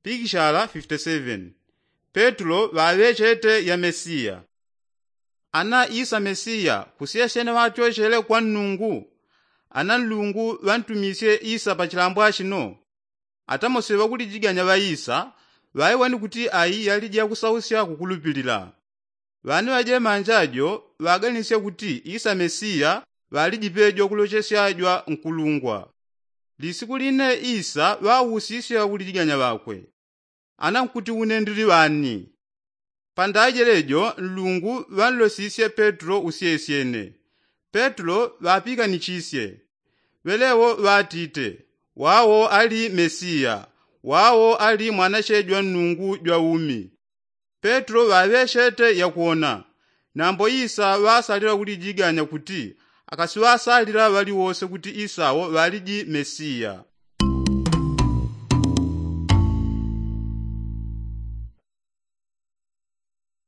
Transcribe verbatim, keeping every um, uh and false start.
Pikishala fifty seven. Petulo ŵaŵechete ya mesiya. Ana isa mesiya kusyesyene ŵatyochele kwa nnungu? Ana nlungu ŵantumisye isa pa chilambo achino? Atamosi ŵakulijiganya ŵa isa ŵaiwani kuti ayi yaliji yakusausya kukulupilila. Ŵane ŵajemanja jo ŵaganisye kuti isa mesiya ŵaliji pejo kulochesya jwa nkulungwa. Lisiku line isa ŵausisye ŵakulijiganya ŵakwe, ana nkuti une ndili ŵani? Pandajele jo nlungu ŵanlosisye petulo usyesyene. Petulo ŵapikanichisye. Ŵelewo ŵatite, wawo ali mesiya. Wawo ali mwanache jwa nnungu jwa umi. Petulo ŵaŵechete yakwona. Nambo isa ŵasalila kulijiganya kuti akasiŵasalila ŵaliwose kuti isawo ŵaliji mesiya.